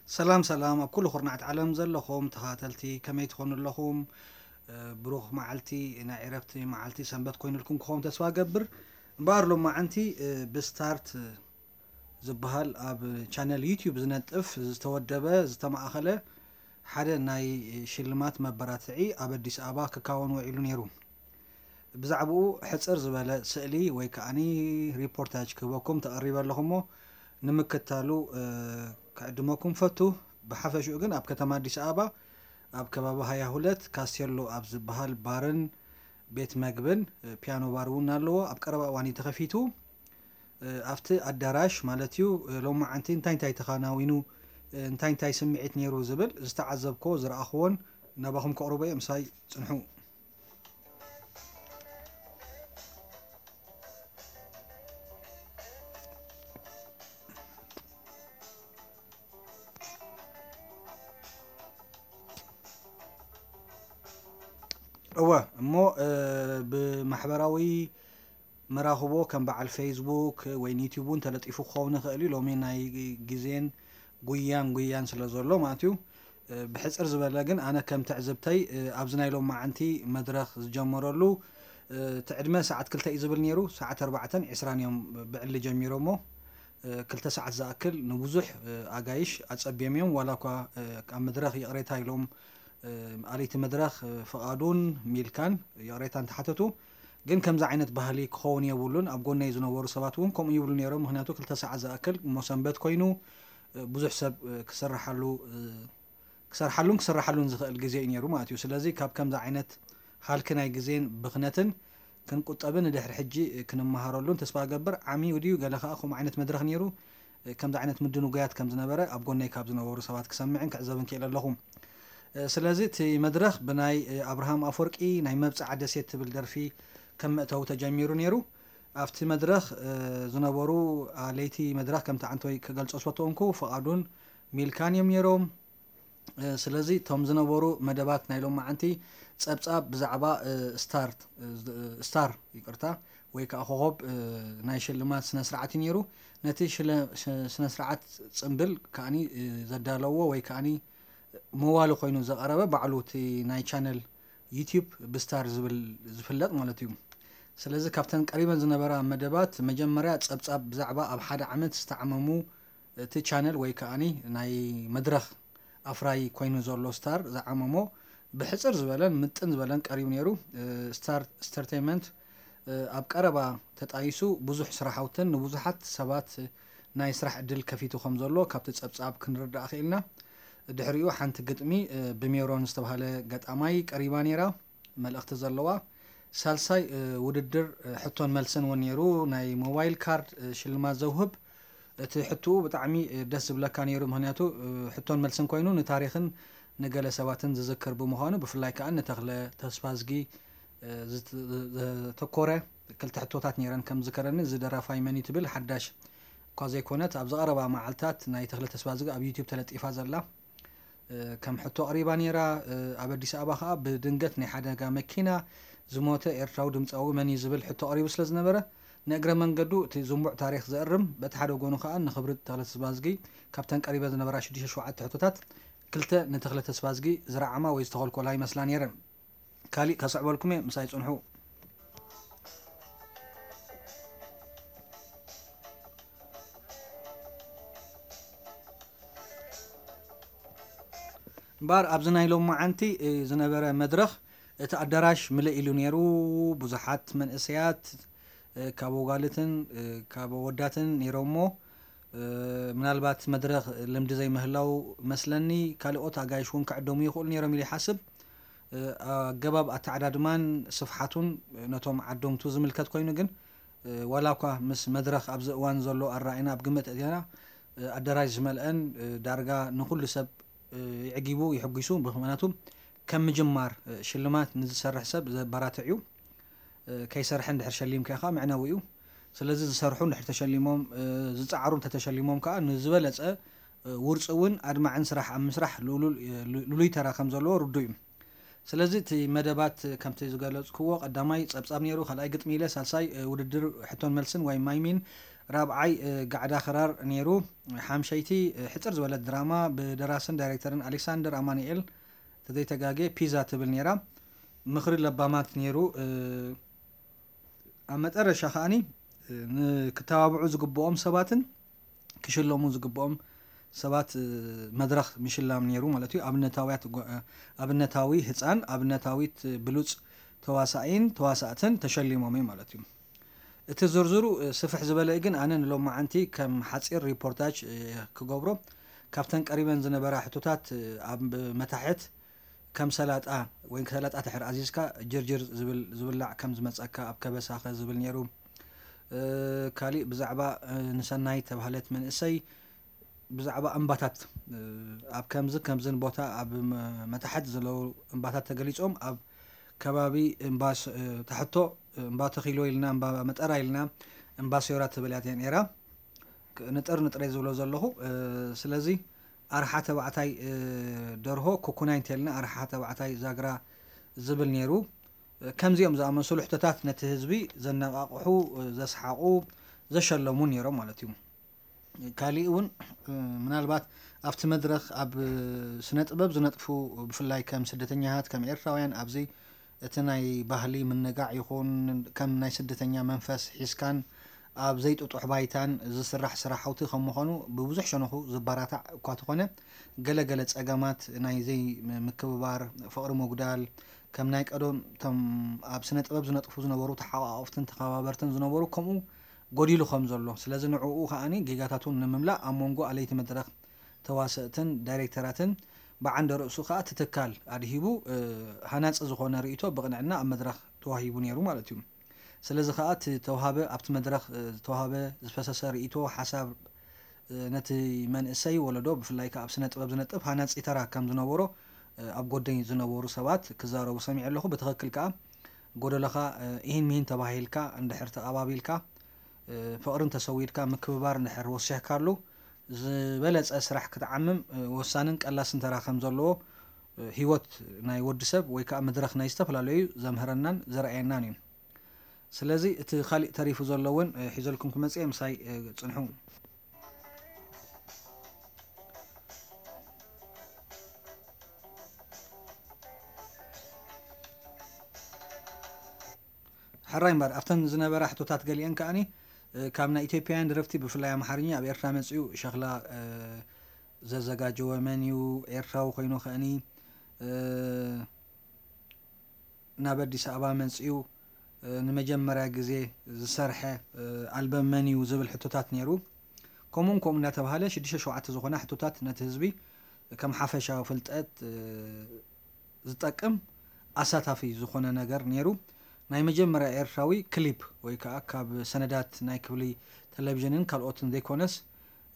ሰላም ሰላም፣ ኣብ ኩሉ ኩርናዓት ዓለም ዘለኹም ተኸታተልቲ ከመይ ትኾኑ ኣለኹም? እ፣ ብሩኽ መዓልቲ፣ ናይ ዕረፍቲ መዓልቲ ሰንበት ኮይኑልኩም ክኸውን ተስፋ ገብር። እምበኣር ሎማዓንቲ፣ እ፣ ብስታርት ዝበሃል ኣብ ቻነል ዩቲዩብ ዝነጥፍ ዝተወደበ ዝተማእኸለ ሓደ ናይ ሽልማት መበራትዒ ኣብ ኣዲስ ኣበባ ክካወን ውዒሉ ነይሩ። ብዛዕባኡ ሕጽር ዝበለ ስእሊ ወይ ከኣኒ ሪፖርታጅ ክህበኩም ተቐሪበ ኣለኹ እሞ ንምክታሉ፣ እ፣ ክዕድመኩም ፈቱ። ብሓፈሽኡ ግን ኣብ ከተማ ኣዲስ ኣበባ ኣብ ከባቢ ሃያ ሁለት ካስቴሎ ኣብ ዝበሃል ባርን ቤት መግብን፣ እ፣ ፒያኖ ባር እውን ኣለዎ። ኣብ ቀረባ እዋን እዩ ተኸፊቱ። እ፣ ኣብቲ ኣዳራሽ ማለት እዩ፣ እ፣ ሎማዓንቲ እንታይ እንታይ ተኸናዊኑ፣ እ፣ እንታይ እንታይ ስምዒት ነይሩ ዝብል ዝተዓዘብኮ ዝረኣኽዎን ናባኹም ከቕርቦ እየ። ምሳይ ጽንሑ። እወ፣ እሞ፣ እ፣ ብማሕበራዊ መራኽቦ ከም በዓል ፌስቡክ ወይ ዩቲዩብ እውን ተለጢፉ ክኸውን ይኽእል እዩ። ሎሚ ናይ ግዜን ጉያን ጉያን ስለ ዘሎ ማለት እዩ። እ፣ ብሕጽር ዝበለ ግን ኣነ ከም ትዕዝብተይ፣ እ፣ ኣብዚ ናይ ሎማዓንቲ መድረኽ ዝጀመረሉ፣ እ፣ እቲ ዕድመ ሰዓት ክልተ እዩ ዝብል ነይሩ። ሰዓት ኣርባዕተን ዕስራን እዮም ብዕሊ ጀሚሮሞ። እ፣ ክልተ ሰዓት ዝኣክል ንብዙሕ፣ እ፣ ኣጋይሽ ኣጸብዮም እዮም። ዋላ እኳ፣ እ፣ ኣብ መድረኽ ይቕሬታ ኢሎም፣ እ፣ ኣለይቲ መድረኽ፣ እ፣ ፍቓዱን ሚልካን ይቕሬታ እንተሓተቱ፣ ግን ከምዚ ዓይነት ባህሊ ክኸውን የብሉን። ኣብ ጎነይ ዝነበሩ ሰባት እውን ከምኡ ይብሉ ነይሮም። ምኽንያቱ ክልተ ሰዓት ዝኣክል እሞ ሰንበት ኮይኑ፣ እ፣ ብዙሕ ሰብ፣ እ፣ ክስርሓሉ፣ እ፣ ክሰርሓሉን ክስርሓሉን ዝኽእል ግዜ እዩ ነይሩ ማለት እዩ። ስለዚ ካብ ከምዚ ዓይነት ሃልኪ ናይ ግዜን ብኽነትን ክንቁጠብን ንድሕሪ ሕጂ ክንመሃረሉን ተስፋ እገብር። ዓሚኡ ድዩ ገለ ከኣ ከምኡ ዓይነት መድረኽ ነይሩ? ከምዚ ዓይነት ምድንጓያት ከም ዝነበረ ኣብ ጎነይ ካብ ዝነበሩ ሰባት ክሰምዕን ክዕዘብን ክኢለ ኣለኹ። ስለዚ እቲ መድረኽ ብናይ ኣብርሃም ኣፈወርቂ ናይ መብጽዓ ደሴት ትብል ደርፊ ከም መእተዊ ተጀሚሩ ነይሩ። ኣብቲ መድረኽ ዝነበሩ ኣለይቲ መድረኽ ከምቲ ዓንቶይ ክገልጾ ዝፈተውንኩ ፍቓዱን ሚልካን እዮም ነይሮም። እ፣ ስለዚ እቶም ዝነበሩ መደባት ናይ ሎማዓንቲ ጸብጻብ ብዛዕባ፣ እ፣ ስታርት፣ እ፣ ዝ-፣ እ፣ ስታር፣ ይቅርታ፣ ወይ ከኣ ኮኾብ፣ እ፣ ናይ ሽልማት ስነ ስርዓት እዩ ነይሩ። ነቲ ሽለ-፣ ሽ-፣ ስነ ስርዓት ጽምብል ከኣኒ፣ እ፣ ዘዳለዎ ወይ ከኣኒ መዋሊ ኮይኑ ዘቐረበ ባዕሉ እቲ ናይ ቻነል ዩቲዩብ ብስታር ዝብል ዝፍለጥ ማለት እዩ። ስለዚ ካብተን ቀሪበን ዝነበራ መደባት መጀመርያ ጸብጻብ ብዛዕባ ኣብ ሓደ ዓመት ዝተዓመሙ እቲ ቻነል ወይ ከኣኒ ናይ መድረኽ ኣፍራዪ ኮይኑ ዘሎ ስታር ዝዓመሞ ብሕጽር ዝበለን ምጥን ዝበለን ቀሪቡ ነይሩ። እ፣ ስታር ኢንተርቴይንመንት፣ እ፣ ኣብ ቀረባ ተጣይሱ ብዙሕ ስራሓውትን ንብዙሓት ሰባት ናይ ስራሕ ዕድል ከፊቱ ከም ዘሎ ካብቲ ጸብጻብ ክንርዳእ ክኢልና። ድሕሪኡ ሓንቲ ግጥሚ፣ እ፣ ብሜሮን ዝተባህለ ገጣማይ ቀሪባ ነይራ። መልእኽቲ ዘለዋ። ሳልሳይ፣ እ፣ ውድድር፣ እ፣ ሕቶን መልስን እውን ነይሩ። ናይ ሞባይል ካርድ፣ እ፣ ሽልማት ዘውህብ። እቲ ሕቶኡ ብጣዕሚ፣ እ፣ ደስ ዝብለካ ነይሩ። ምኽንያቱ፣ እ፣ ሕቶን መልስን ኮይኑ ንታሪኽን ንገለ ሰባትን ዝዝክር ብምዃኑ፣ ብፍላይ ከኣ ንተኽለ ተስፋዝጊ፣ እ፣ ዝት-፣ ዘተኮረ ክልተ ሕቶታት ነይረን። ከም ዝከረኒ፣ እዚ ደራፋይ መን እዩ ትብል ሓዳሽ እኳ ዘይኮነት፣ ኣብ ዝቐረባ መዓልታት ናይ ተኽለ ተስፋዝጊ ኣብ ዩቲዩብ ተለጢፋ ዘላ እ፣ ከም ሕቶ ኣቕሪባ ነይራ። እ፣ ኣብ ኣዲስ ኣበባ ከኣ ብድንገት ናይ ሓደጋ መኪና ዝሞተ ኤርትራዊ ድምጻዊ መን እዩ ዝብል ሕቶ ቀሪቡ ስለ ዝነበረ፣ ንእግረ መንገዱ እቲ ዝንቡዕ ታሪኽ ዘእርም፣ በቲ ሓደ ጎኑ ከኣ ንኽብሪ ተኽለ ተስፋዝጊ ካብተን ቀሪበን ዝነበራ ሽዱሽተ ሸውዓተ ሕቶታት ክልተ ንተኽለ ተስፋዝጊ ዝረዓማ ወይ ዝተኾልኮላ ይመስላ ነይረን። ካሊእ ከስዕበልኩም እየ፣ ምሳይ ጽንሑ። እምበኣር ኣብዚ ናይ ሎማዓንቲ፣ እ፣ ዝነበረ መድረኽ እቲ ኣዳራሽ ምልእ ኢሉ ነይሩ። ብዙሓት መንእሰያት፣ እ፣ ካብ ኣጓልትን፣ እ፣ ካብ ኣወዳትን ነይሮሞ። እ፣ ምናልባት መድረኽ ልምዲ ዘይምህላው መስለኒ፣ ካልኦት ኣጋይሽ እውን ክዕደሙ ይኽእሉ ነይሮም ኢለ ይሓስብ። እ፣ ኣገባብ ኣተዓዳድማን ስፍሓቱን ነቶም ዓደምቱ ዝምልከት ኮይኑ ግን፣ እ፣ ዋላ እኳ ምስ መድረኽ ኣብዚ እዋን ዘሎ ኣረኣእያና ኣብ ግምት ኣእቲና፣ እ፣ ኣዳራሽ ዝመልአን፣ እ፣ ዳርጋ ንኹሉ ሰብ፣ እ፣ የዕጊቡ፣ የሐጒሱ። ምኽንያቱ ከም ምጅማር፣ እ፣ ሽልማት ንዝሰርሕ ሰብ ዘበራትዕ እዩ። እ፣ ከይሰርሐ እንድሕር ሸሊምካዮ ከኣ መዕነዊ እዩ። ስለዚ ዝሰርሑ እንድሕር ተሸሊሞም፣ እ፣ ዝጸዓሩ እንተተሸሊሞም ከኣ ንዝበለጸ፣ እ፣ ውርጹውን ኣድማዕን ስራሕ ኣብ ምስራሕ ልኡሉል-፣ እ፣ ሉ-፣ ልሉይ ተራ ከም ዘለዎ ርዱእ እዩ። ስለዚ እቲ መደባት ከምቲ ዝገለጽክዎ ቀዳማይ ጸብጻብ ነይሩ፣ ካልኣይ ግጥሚ ኢለ፣ ሳልሳይ፣ እ፣ ውድድር ሕቶን መልስን ወይ ማይሚን፣ ራብዓይ፣ እ፣ ጋዕዳ ክራር ነይሩ። ሓምሸይቲ፣ እ፣ ሕጽር ዝበለት ድራማ ብደራስን ዳይሬክተርን ኣሌክሳንደር ኣማኑኤል፣ ተዘይተጋጌ ፒዛ ትብል ነይራ። ምኽሪ ለባማት ነይሩ። እ፣ ኣብ መጠረሻ ከኣኒ፣ እ፣ ንክተባብዑ ዝግብኦም ሰባትን ክሽለሙ ዝግብኦም ሰባት፣ እ፣ መድረኽ ምሽላም ነይሩ ማለት እዩ። ኣብነታውያት ጓ-፣ እ፣ ኣብነታዊ ህፃን፣ ኣብነታዊት ብሉፅ ተዋሳኢን ተዋሳእትን ተሸሊሞም እዩ ማለት እዩ። እቲ ዝርዝሩ፣ እ፣ ስፍሕ ዝበለ እዩ፣ ግን ኣነ ንሎማዓንቲ ከም ሓፂር ሪፖርታጅ፣ እ፣ ክገብሮ፣ ካብተን ቀሪበን ዝነበራ ሕቶታት፣ እ፣ ኣብ መታሕት ከም ሰላጣ ወይ ሰላጣ ድሕር ኣዚዝካ ጅርጅር ዝብል፣ ዝብላዕ ከም ዝመጸካ ኣብ ከበሳኸ ዝብል ነይሩ። እ፣ ካሊእ ብዛዕባ፣ እ፣ ንሰናይ ተባህለት መንእሰይ ብዛዕባ እምባታት፣ እ፣ ኣብ ከምዚ ከምዝን ቦታ ኣብ መ-፣ መታሕት ዘለዉ እምባታት ተገሊጾም ኣብ ከባቢ እምባ ስ-፣ እ፣ ታሕቶ እምባ ተኺሎ ኢልና፣ እምባ መጠራ ኢልና፣ እምባ ሶራ ትብል እያ ነይራ። ክ-፣ ንጥር ንጥረይ ዝብሎ ዘለኹ። እ፣ ስለዚ ኣርሓ ተባዕታይ፣ እ፣ ደርሆ ኩኩናይ እንተልና ኣርሓ ተባዕታይ ዛግራ ዝብል ነይሩ። እ፣ ከምዚኦም ዝኣመሰሉ ሕቶታት ነቲ ህዝቢ ዘነቓቕሑ፣ እ፣ ዘስሓቑ፣ ዘሸለሙ ነይሮም ማለት እዩ። ካሊእ እውን፣ እ፣ ምናልባት ኣብቲ መድረኽ ኣብ ስነ ጥበብ ዝነጥፉ፣ ብፍላይ ከም ስደተኛታት፣ ከም ኤርትራውያን ኣብዚ እቲ ናይ ባህሊ ምንጋዕ ይኹን ከም ናይ ስደተኛ መንፈስ ሒዝካን ኣብ ዘይጥጡሕ ባይታን ዝስራሕ ስራሕቲ ከም ምዃኑ ብብዙሕ ሸነኹ ዝበራታዕ እኳ ተኾነ፣ ገለ ገለ ጸገማት ናይ ዘይምክብባር፣ ፍቕሪ ምጉዳል፣ ከም ናይ ቀደም እቶም ኣብ ስነ ጥበብ ዝነጥፉ ዝነበሩ ተሓቋቐፍትን ተኸባበርትን ዝነበሩ ከምኡ ጎዲሉ ከም ዘሎ፣ ስለዚ ንዕኡ ከኣኒ ጌጋታቱ ንምምላእ ኣብ መንጎ ኣለይቲ መድረኽ ተዋሰእትን ዳይሬክተራትን ብዓንደ ርእሱ ከኣ እቲ ትካል ኣድሂቡ፣ እ፣ ሃናጺ ዝኾነ ርእይቶ ብቕንዕና ኣብ መድረኽ ተዋሂቡ ነይሩ ማለት እዩ። ስለዚ ከኣ እቲ ተውሃበ፣ ኣብቲ መድረኽ፣ እ፣ ዝተዋህበ ዝፈሰሰ ርእይቶ፣ ሓሳብ፣ እ፣ ነቲ መንእሰይ ወለዶ ብፍላይ ከኣ ኣብ ስነ ጥበብ ዝነጥፍ ሃናጺ ተራ ከም ዝነበሮ፣ እ፣ ኣብ ጎደይ ዝነበሩ ሰባት ክዛረቡ ሰሚዐ ኣለኹ። ብትኽክል ከኣ ጎደሎኻ፣ እ፣ ኢሂን ሚሂን ተባሂልካ እንድሕር ተቐባቢልካ፣ እ፣ ፍቕሪ እንተሰዊድካ፣ ምክብባር እንድሕር ወሲኽካሉ፣ ዝበለጸ ስራሕ ክትዓምም፣ እ፣ ወሳንን ቀላስን ተራ ከም ዘለዎ፣ እ፣ ህይወት ናይ ወዲ ሰብ ወይ ከኣ መድረኽ ናይ ዝተፈላለዩ ዘምህረናን ዘርኣየናን እዩ። ስለዚ እቲ ካሊእ ተሪፉ ዘሎ እውን፣ እ፣ ሒዘልኩም ክመጽእ እየ፣ ምሳይ፣ እ፣ ጽንሑ። ሕራይ እምበር፣ ኣብተን ዝነበራ ሕቶታት ገሊአን ከኣኒ፣ እ፣ ካብ ናይ ኢትዮጵያውያን ደረፍቲ ብፍላይ ኣምሓርኛ ኣብ ኤርትራ መጺኡ ሸኽላ፣ እ፣ ዘዘጋጀወ መን እዩ? ኤርትራዊ ኮይኑ ከኣኒ፣ እ፣ ናብ ኣዲስ ኣበባ መጺኡ፣ እ፣ ንመጀመርያ ግዜ ዝሰርሐ፣ እ፣ ኣልበም መን እዩ ዝብል ሕቶታት ነይሩ። ከምኡን ከምኡ እናተባህለ ሽዱሽተ ሸውዓተ ዝኾና ሕቶታት ነቲ ህዝቢ ከም ሓፈሻዊ ፍልጠት፣ እ፣ ዝጠቅም ኣሳታፊ ዝኾነ ነገር ነይሩ። ናይ መጀመርያ ኤርትራዊ ክሊፕ ወይ ከኣ ካብ ሰነዳት ናይ ክፍሊ ቴሌቪዥንን ካልኦትን ዘይኮነስ፣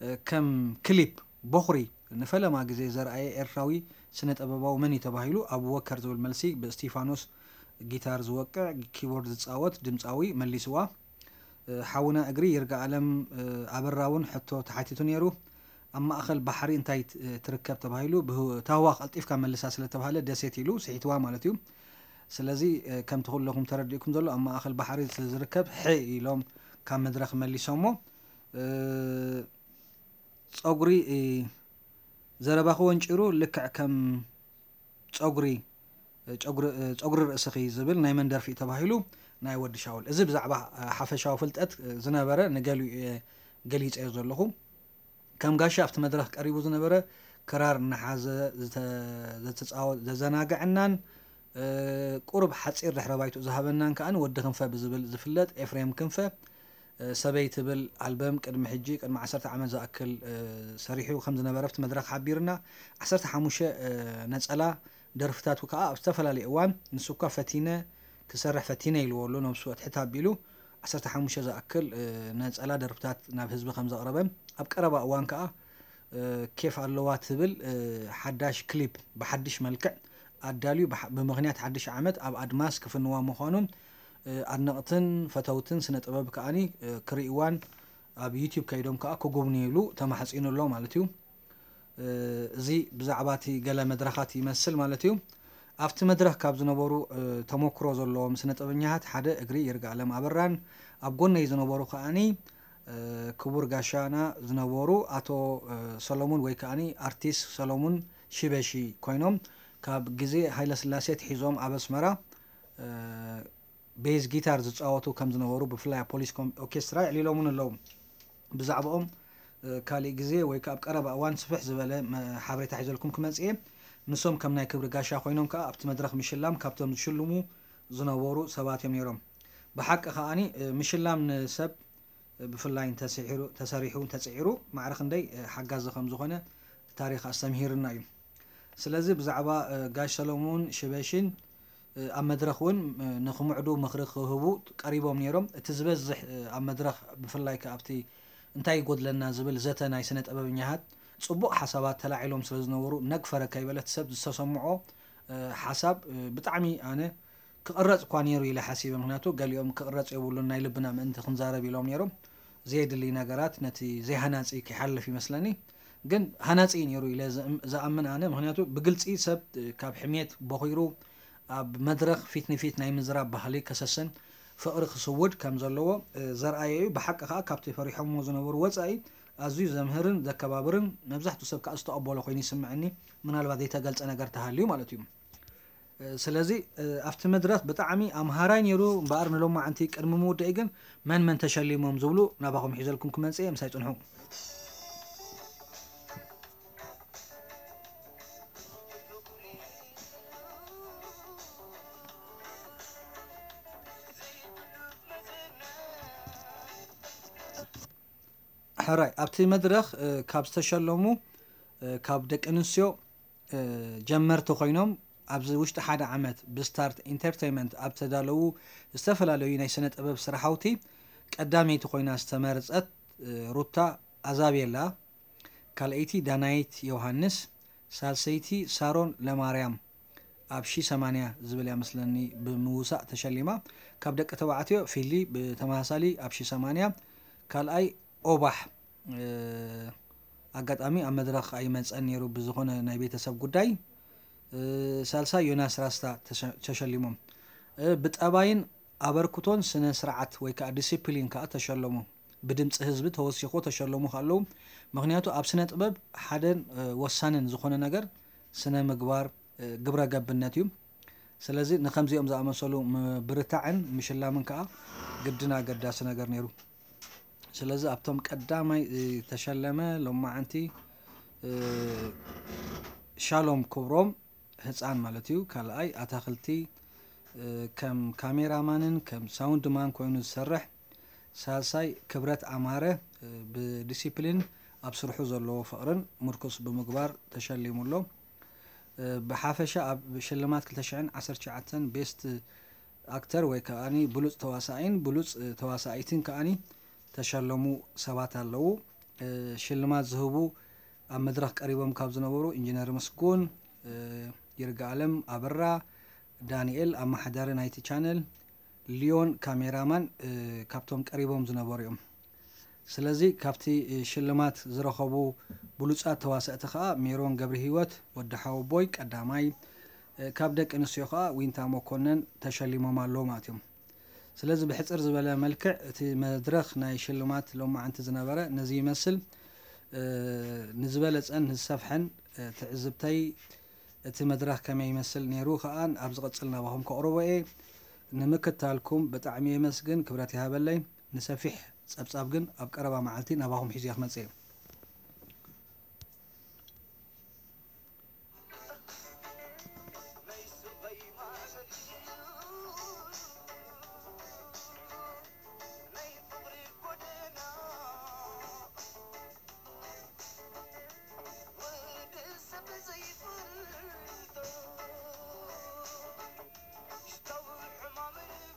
እ፣ ከም ክሊፕ በኹሪ ንፈለማ ግዜ ዘርኣየ ኤርትራዊ ስነ ጥበባዊ መን እዩ ተባሂሉ፣ ኣቡበከር ዝብል መልሲ ብእስቲፋኖስ ጊታር ዝወቅዕ፣ ኪቦርድ ዝጻወት ድምጻዊ መሊስዋ። እ፣ ሓውና እግሪ ይርጋኣለም፣ እ፣ ኣበራ እውን ሕቶ ተሓቲቱ ነይሩ። ኣብ ማእኸል ባሕሪ እንታይ ት-፣ ትርከብ ተባሂሉ፣ ብህ-፣ ታህዋ ቀልጢፍካ መልሳ ስለተባህለ ደሴት ኢሉ ስሒትዋ ማለት እዩ። ስለዚ፣ እ፣ ከምቲ ኩለኹም ተረዲእኩም ዘሎ ኣብ ማእኸል ባሕሪ ስለ ዝርከብ ሕ ኢሎም ካብ መድረኽ መሊሶሞ። እ፣ ጸጉሪ፣ እ፣ ዘረባኺ ወንጪሩ ልክዕ ከም ጸጉሪ፣ ጸጉሪ፣ ጸጉሪ ርእስኺ ዝብል ናይ መን ደርፊ እዩ ተባሂሉ? ናይ ወዲ ሻውል። እዚ ብዛዕባ ሓፈሻዊ ፍልጠት ዝነበረ ንገሊኡ እየ ገሊጸዮ ዘለኹ። ከም ጋሻ ኣብቲ መድረኽ ቀሪቡ ዝነበረ ክራር እናሓዘ ዝተ-፣ ዘተጻወ-፣ ዘዘናግዐናን፣ እ፣ ቁሩብ ሓጺር ድሕረ ባይትኡ ዝሃበናን ከኣ ወዲ ክንፈ ብዝብል ዝፍለጥ ኤፍሬም ክንፈ፣ እ፣ ሰበይ ትብል ኣልበም ቅድሚ ሕጂ፣ ቅድሚ ዓሰርተ ዓመት ዝኣክል፣ እ፣ ሰሪሑ ከም ዝነበረ ኣብቲ መድረኽ ሓቢርና። ዓሰርተ ሓሙሽተ፣ እ፣ ነጸላ ደርፍታቱ ከኣ ኣብ ዝተፈላለየ እዋን፣ ንሱ እኳ ፈቲነ ክሰርሕ ፈቲነ ኢልዎ ኣሎ፣ ነብሱ ኣትሕት ኣቢሉ። ዓሰርተ ሓሙሽተ ዝኣክል፣ እ፣ ነጸላ ደርፍታት ናብ ህዝቢ ከም ዘቕረበን፣ ኣብ ቀረባ እዋን ከኣ፣ እ፣ ኬፍ ኣለዋ ትብል፣ እ፣ ሓዳሽ ክሊፕ ብሓድሽ መልክዕ ኣዳልዩ፣ ብሓ-፣ ብምኽንያት ሓድሽ ዓመት ኣብ ኣድማስ ክፍንዋ ምዃኑን፣ እ፣ ኣድነቕትን ፈተውትን ስነ ጥበብ ከኣኒ፣ እ፣ ክርእይዋን ኣብ ዩቲዩብ ከይዶም ከኣ ክጉብንዩሉ ተማሕጺኑ ኣሎ ማለት እዩ። እ፣ እዚ ብዛዕባ እቲ ገለ መድረኻት ይመስል ማለት እዩ። ኣብቲ መድረኽ ካብ ዝነበሩ፣ እ፣ ተመክሮ ዘለዎም ስነ ጥበበኛታት ሓደ እግሪ ይርጋኣለም ኣበራን ኣብ ጎነይ ዝነበሩ ከኣኒ ክቡር ጋሻና ዝነበሩ ኣቶ ሰሎሙን ወይ ከዓኒ ኣርቲስት ሰሎሙን ሽበሺ ኮይኖም፣ ካብ ግዜ ሃይለስላሴ ኣትሒዞም ኣብ ኣስመራ ቤዝ ጊታር ዝፃወቱ ከም ዝነበሩ፣ ብፍላይ ኣብ ፖሊስ ኦርኬስትራ የዕሊሎምን ኣለዉ። ብዛዕባኦም ካሊእ ግዜ ወይ ከዓ ኣብ ቀረባ እዋን ስፍሕ ዝበለ ሓበሬታ ሒዘልኩም ክመፅእ እየ። ንሶም ከም ናይ ክብሪ ጋሻ ኮይኖም ከዓ ኣብቲ መድረኽ ምሽላም ካብቶም ዝሽልሙ ዝነበሩ ሰባት እዮም ነይሮም። ብሓቂ ከዓኒ ምሽላም ንሰብ ብፍላይ ተሰሪሑ ተፅዒሩ ማዕረ ክንደይ ሓጋዚ ከም ዝኾነ ታሪኽ ኣስተምሂርና እዩ። ስለዚ ብዛዕባ ጋሽ ሰሎሙን ሽበሽን ኣብ መድረኽ እውን ንክምዕዱ ምኽሪ ክህቡ ቀሪቦም ነይሮም። እቲ ዝበዝሕ ኣብ መድረኽ ብፍላይ ከ ኣብቲ እንታይ ይጎድለና ዝብል ዘተ ናይ ስነ ጥበበኛታት ፅቡቕ ሓሳባት ተላዒሎም ስለ ዝነበሩ ነግ ፈረግ ከይበለ እቲ ሰብ ዝተሰምዖ ሓሳብ ብጣዕሚ ኣነ ክቕረፅ እኳ ነይሩ ኢለ ሓሲበ። ምክንያቱ ገሊኦም ክቕረፅ የብሉን ናይ ልብና ምእንቲ ክንዛረብ ኢሎም ነይሮም። ዘየድሊ ነገራት ነቲ ዘይሃናፂ ክሓልፍ ይመስለኒ። ግን ሃናፂ ነይሩ ኢለ ዝኣምን ኣነ። ምክንያቱ ብግልፂ ሰብ ካብ ሕሜት በኺሩ ኣብ መድረኽ ፊት ንፊት ናይ ምዝራብ ባህሊ ከሰስን ፍቕሪ ክስውድ ከም ዘለዎ ዘርኣየ እዩ። ብሓቂ ከዓ ካብቲ ፈሪሖሞ ዝነበሩ ወፃኢ ኣዝዩ ዘምህርን ዘከባብርን መብዛሕትኡ ሰብ ከዓ ዝተቐበሎ ኮይኑ ይስምዐኒ። ምናልባት ዘይተገልፀ ነገር ተሃልዩ ማለት እዩ። ስለዚ ኣብቲ መድረኽ ብጣዕሚ ኣምሃራይ ነይሩ እምበኣር ንሎማዓንቲ ቅድሚ ምውዳኢ ግን መን መን ተሸሊሞም ዝብሉ ናባኹም ሒዘልኩም ክመፅእ እየ። ምሳይ ፅንሑ። ሕራይ ኣብቲ መድረኽ ካብ ዝተሸለሙ ካብ ደቂ ኣንስትዮ ጀመርቲ ኮይኖም ኣብዚ ውሽጢ ሓደ ዓመት ብስታርት ኢንተርተይመንት ኣብ ተዳለዉ ዝተፈላለዩ ናይ ስነ ጥበብ ስራሓውቲ ቀዳመይቲ ኮይና ዝተመረፀት ሩታ ኣዛቤላ፣ ካልኣይቲ ዳናይት ዮሃንስ፣ ሳልሰይቲ ሳሮን ለማርያም ኣብ ሺ ሰማንያ ዝብል እያ መስለኒ ብምውሳእ ተሸሊማ። ካብ ደቂ ተባዕትዮ ፊሊ ብተመሳሳሊ ኣብ ሺ ሰማንያ፣ ካልኣይ ኦባሕ ኣጋጣሚ ኣብ መድረኽ ኣይመፀን ነይሩ ብዝኾነ ናይ ቤተሰብ ጉዳይ። ሳልሳይ ዮናስ ራስታ ተሸሊሞም። ብጠባይን ኣበርክቶን ስነ ስርዓት ወይ ከዓ ዲሲፕሊን ከዓ ተሸለሙ። ብድምፂ ህዝቢ ተወሲኾ ተሸለሙ ከለዉ፣ ምክንያቱ ኣብ ስነ ጥበብ ሓደን ወሳንን ዝኾነ ነገር ስነ ምግባር ግብረ ገብነት እዩ። ስለዚ ንከምዚኦም ዝኣመሰሉ ምብርታዕን ምሽላምን ከዓ ግድን ኣገዳሲ ነገር ነይሩ። ስለዚ ኣብቶም ቀዳማይ ዝተሸለመ ሎማዓንቲ ሻሎም ክብሮም ህፃን ማለት እዩ። ካልኣይ ኣታክልቲ ከም ካሜራማንን ከም ሳውንድ ማን ኮይኑ ዝሰርሕ፣ ሳልሳይ ክብረት ኣማረ ብዲሲፕሊን ኣብ ስርሑ ዘለዎ ፍቕርን ምርኩስ ብምግባር ተሸሊሙ ኣሎ። ብሓፈሻ ኣብ ሽልማት ክልተ ሽሕን ዓሰርተ ትሽዓተን ቤስት ኣክተር ወይ ከዓኒ ብሉፅ ተዋሳኣይን ብሉፅ ተዋሳኣይትን ከዓኒ ተሸለሙ ሰባት ኣለዉ። ሽልማት ዝህቡ ኣብ መድረኽ ቀሪቦም ካብ ዝነበሩ ኢንጂነር ምስጉን፣ ይርጋኣለም ኣበራ፣ ዳንኤል ኣመሓዳሪ ናይቲ ቻነል፣ ሊዮን ካሜራማን ካብቶም ቀሪቦም ዝነበሩ እዮም። ስለዚ ካብቲ ሽልማት ዝረኸቡ ብሉፃት ተዋሳእቲ ከዓ ሜሮን ገብረሂወት፣ ወዲ ሓወቦይ ቀዳማይ፣ ካብ ደቂ ኣንስትዮ ከዓ ዊንታ መኮነን ተሸሊሞም ኣለዉ ማለት እዮም። ስለዚ ብሕፅር ዝበለ መልክዕ እቲ መድረኽ ናይ ሽልማት ሎማዓንቲ ዝነበረ ነዚ ይመስል። ንዝበለፀን ንዝሰፍሐን ትዕዝብተይ እቲ መድረኽ ከመይ ይመስል ነይሩ ከዓ ኣብ ዝቕፅል ናባኹም ከቕርቦ እየ። ንምክታልኩም ብጣዕሚ የመስግን፣ ክብረት ይሃበለይ። ንሰፊሕ ፀብፃብ ግን ኣብ ቀረባ መዓልቲ ናባኹም ሒዘ ክመፅእ እየ።